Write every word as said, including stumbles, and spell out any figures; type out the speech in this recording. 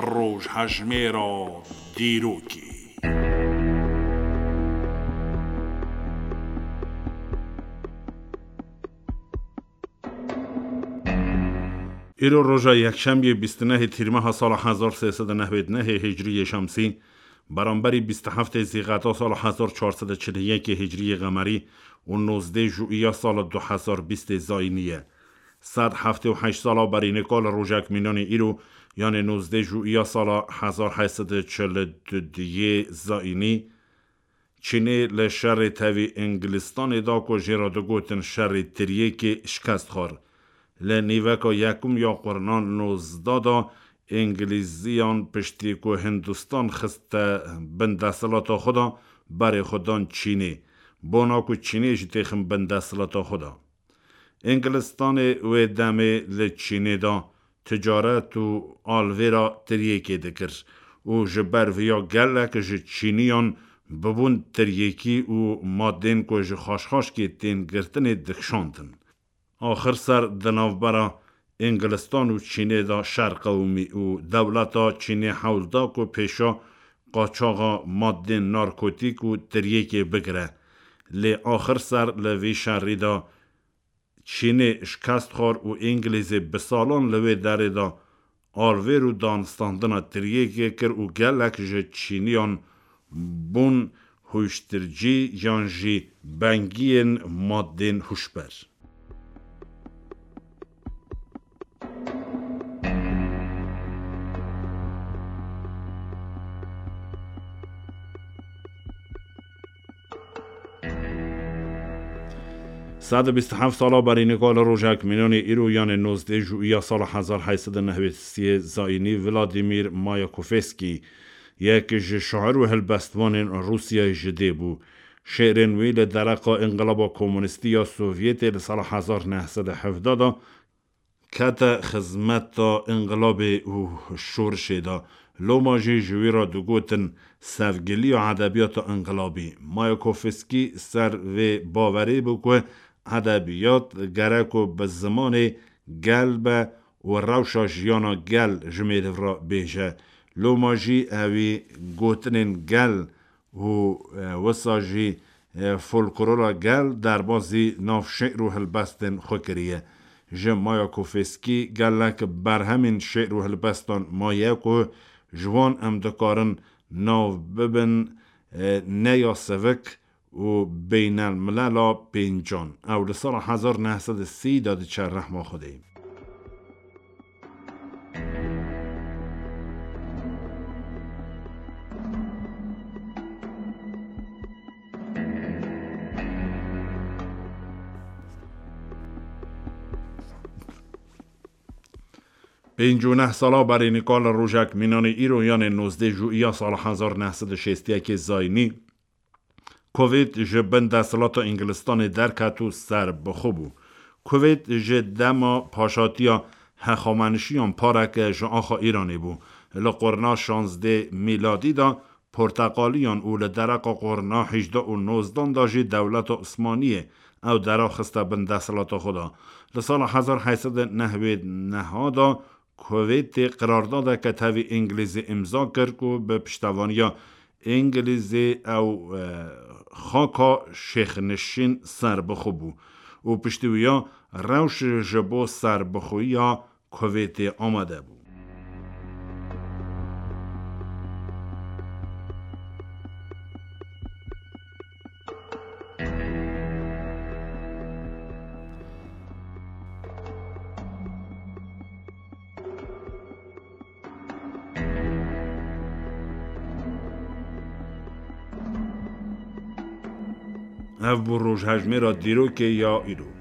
Rojhejmêra dîrokê. Îro roja yekşemiyê bîst û nehê Tîrmeha sala hezar sê sed û nehwêd nehê Hicriyê Şemsî, beramberî bîst û heftê Zîqeta sala hezar çar sed û çil û yekê Hicriyê Qemerî û nozdê Jûiya sala du hezar bîstê Zayînî ye. Sed heftê û heşt sala berî nika li rojek mînanê îro, yanê nozdê Jûiya sala hezar heyt sed û çil û duyê Zayînî, Çînê li şerê tevî Îngilistanê da ku jê re digotin şerê tiryêkê şikest xwar. Li nîveka yekum ya qurna nozdeh da Îngilîziyan piştî ku Hindistan xiste bin desthilata xwe da, berê xwe dan Çînê. Bona ku Çînê jî têxin bin desthilata xwe da. Îngilistanê wê demê li Çînê da ticaret û alvêra tiryêkê dikir û ji ber viya gelek ji Çîniyan bibûn tiryêkî û madên ku ji xaşxaşkê tên girtinê dikişandin. Axir ser di navbera Îngilistan û Çînê de şer qewimî û dewleta Çînê hewl da ku pêşa qaçaxa madên narkotîk û tiryêkê bigire. Lê axir ser li vî şerî de Çînê şikest xwar û Îngilîzê bi salan li wê derê de alvêr û danistandina tiryêkê kir û gelek ji Çîniyan bûn huştircî yan jî bengiyên madên huşber. Sed û bîst û heft sala berî nika li rojek mînanê îro, yanê nozdeh Jûiya sala hezar heyt sed û nehwêd sê Zayînî, Vladimir Mayakovskî, yek ji şair û helbestvanên Rûsyayê ji dê bû. Şêrên wî li dereqa Înqilaba Komunîstî ya Sovyetê li sala hezar neh sed û hevdeh de kete xizmeta înqilabê û şorişê de. Loma jî ji wî re digotin sevgiliya edebiyata înqilabî. Mayakovskî ser vê bawerê bû ku edebiyat gerek ku bi zimanê gel be û rewşa jiyana gel ji mêriv re bêje. Loma jî ewî gotinên gel û, e, wisa jî, e, folklora gel derbazî nav şê'r û helbestên xwe kiriye. Ji Mayakovskî gelek berhemên şê'r û helbestan maye ku ji wan em dikarin nav bibin, e, ne ya sivik û beynelmilela pêncan. Ew li sala hezar neh sed û sî de diçe rehma Xwedê. Pêncî û neh sala berî nika li rojek mînanê îro, yanê nozdeh Jûiya sala hezar neh sed û şêst û yekê Zayînî, Kuveyt ji bin desthilata Îngilistanê derket û serbixwe bû. Kuveyt ji dema paşatiya hexamenişiyan pareke ji axa Îranê bû. Li qurna şazdeh mîladî de porteqaliyan û li dereqa qurna hejdeh û nozdan de jî dewleta Osmaniyê ew dera xiste bin desthilata xwe de. Li sala hezar heyt sed û nehwêd neh de Kuveytê qirardadeke tevî Îngilîzî îmza kir ku bi piştevaniya Îngilîzê ew, e, xaka şêxnişîn serbixwe bû û piştî wiya rewş ji bo serbixweyiya Kuveytê amade bû. Ev bû rojhejmêra dîrokê ya îro.